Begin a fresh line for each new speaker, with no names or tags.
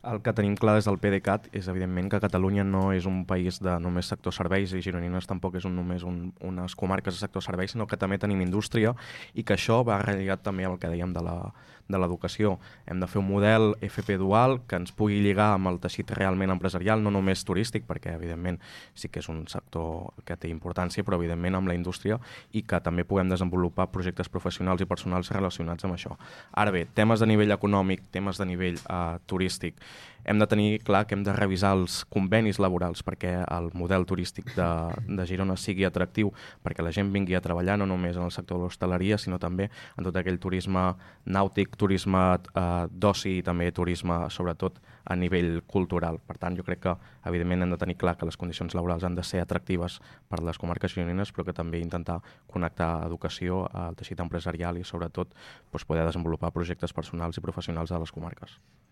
El que tenim clar des del PDeCAT és, evidentment, que Catalunya no és un país de només sector serveis i Gironines tampoc és només unes comarques de sector serveis, sinó que també tenim indústria i que això va relligat també amb el que dèiem de l'educació. Hem de fer un model FP dual que ens pugui lligar amb el teixit realment empresarial, no només turístic, perquè, evidentment, sí que és un sector que té importància, però, evidentment, amb la indústria i que també puguem desenvolupar projectes professionals i personals relacionats amb això. Ara bé, temes de nivell econòmic, temes de nivell turístic, hem de tenir clar que hem de revisar els convenis laborals perquè el model turístic de Girona sigui atractiu, perquè la gent vingui a treballar no només en el sector de l'hostaleria, sinó també en tot aquell turisme nàutic, turisme d'oci i també turisme, sobretot, a nivell cultural. Per tant, jo crec que, evidentment, hem de tenir clar que les condicions laborals han de ser atractives per les comarques gironines, però que també intentar connectar educació al teixit empresarial i, sobretot, poder desenvolupar projectes personals i professionals a les comarques.